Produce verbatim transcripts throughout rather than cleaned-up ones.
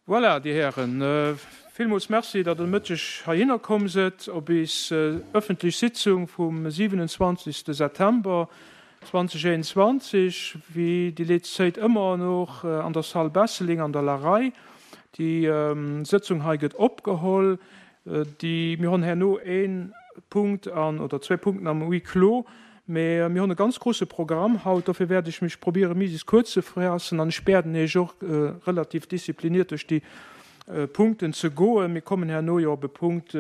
Voilà, Dir Hären, villmools Merci, datt Der de Mëtteg heihinner komm sidd op eis öffentlech Sitzung vum siwenundzwanzegste September zweedausendeenundzwanzeg, wéi déi letzte Zäit ëmmer noch an der Salle Besseling an der Larei. Déi Sëtzung hei gëtt opgeholl. Déi, mir hunn herno een Punkt an, oder zwee Punkten am Huis clos, mee mir hunn e ganz grouse Programm haut, dofir wäert ech mech probiere mises kuerz ze faassen an ech bieden Iech och relativ diszipliniert duerch déi Punkten ze goen. Mir kommen herno jo op e Punkt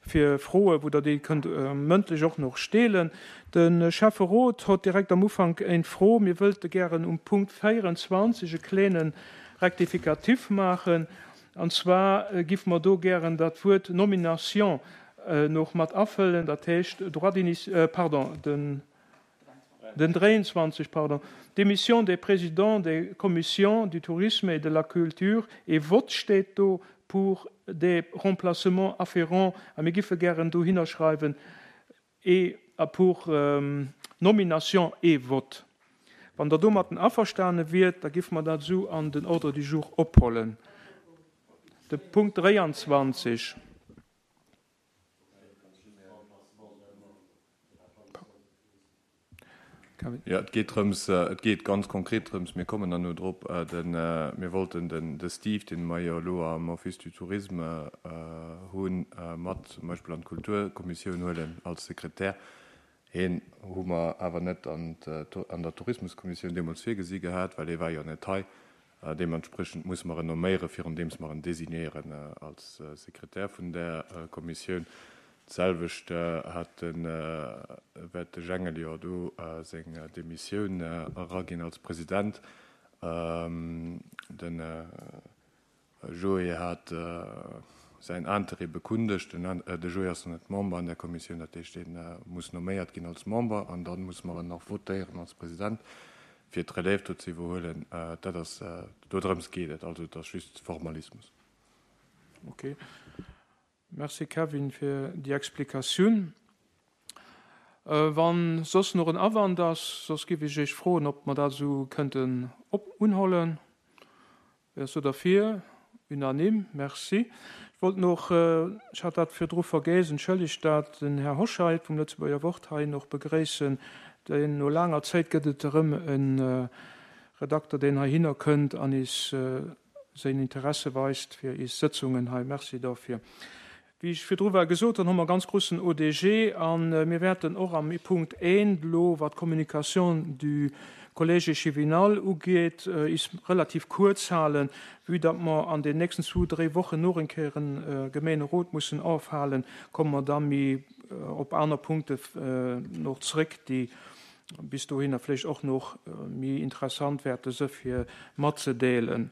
fir Froen, wou Der déi kënnt mëndlech och nach stellen. De Schäfferot hott direkt am Ufank eng Fro. Mir wëllte gären um Punkt véierundzwanzeg e kleene Rectificatif maachen. An zwar giff mer do gären dat Wuert Nomination noch mat afëllen, dat heescht droit d'initi-, pardon, den, den dräiundzwanzeg, pardon, démission des présidents des commissions du tourisme et de la culture et vote steet do pour des remplacements afférents, a mir giffe gären dohinner schreiwen et pour nomination et vote. Wann Der domatten averstane wiert, da giffe mer dat esou an den Ordre du jour ophollen. De Punkt dräiundzwanzeg. Jo, et geet drëms, et geet ganz konkret drëms, mir kommen dann no drop, den, mir wollten den, de Steve, dee mer jo elo am Office du Tourisme hunn, mat zum Beispill an d'Kulturkommissioun huelen als Sekretär. Hien hu mer awer net an an der Tourismuskommissioun deemools virgesi gehat, well hie war jo net hei. Deementspriechend musse mer en nomméiere virundeems mer en designéieren als Sekretär vun där Kommissioun. D'selwecht hat de, wäert de Jengel jo do seng Demissioun eraginn als President. De Joé hat säin Interêt bekundegt. De Joé ass nach net Member an där Kommissioun, dat heescht, dee muss nomméiert ginn als Member an da musse mer en nach votéieren als President, fir d'Relève do ze iwwerhuelen. Dat ass, dodrëms geet et. Also et ass just Formalismus. Okay. Merci Kevin fir déi Explikatioun. Wann soss nach en Awand ass, soss giff ech Iech froen, ob mer dat esou kënnten op unhollen. Wer ass do derfir? Unanime, merci. Ech wollt noch, ech hat dat virdru vergéss, entschëllegt dat, den Här Hoscheit vum Lëtzebuerger Wort hei noch begréissen. Deen no laanger Zäit gëtt et erëm e Redakter, deen heihinner kënnt an is säin Interesse weist fir is Sëtzungen hei. Merci dofir. Wéi ech virdru war gesot hunn, hu mer e ganz groussen O D G a mir wäerten och am Punkt eent elo, wat d'Communication du Collège échevinal ugeet, is relativ kuerz halen, vue datt mer an den nächsten zwou, dréi Wochen noch eng Kéier e Gemeenerot mussen ofhalen, komme mer da méi op aner Punkte noch zréck, déi bis dohinner vläicht och noch méi interessant wäerte si fir matzedeelen.